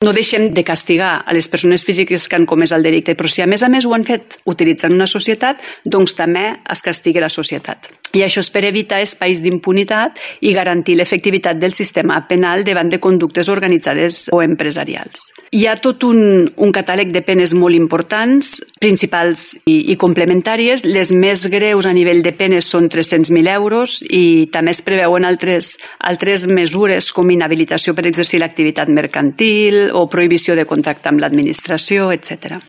No deixem de castigar a les persones físiques que han comès el delicte, però si a més ho han fet utilitzant una societat, doncs també es castigui la societat. I això és per evitar espais d'impunitat i garantir l'efectivitat del sistema penal davant de conductes organitzades o empresarials. Hi ha tot un catàleg de penes molt importants, principals i complementàries. Les més greus a nivell de penes són 300.000 euros i també es preveuen altres mesures com inhabilitació per exercir l'activitat mercantil o prohibició de contacte amb l'administració, etc.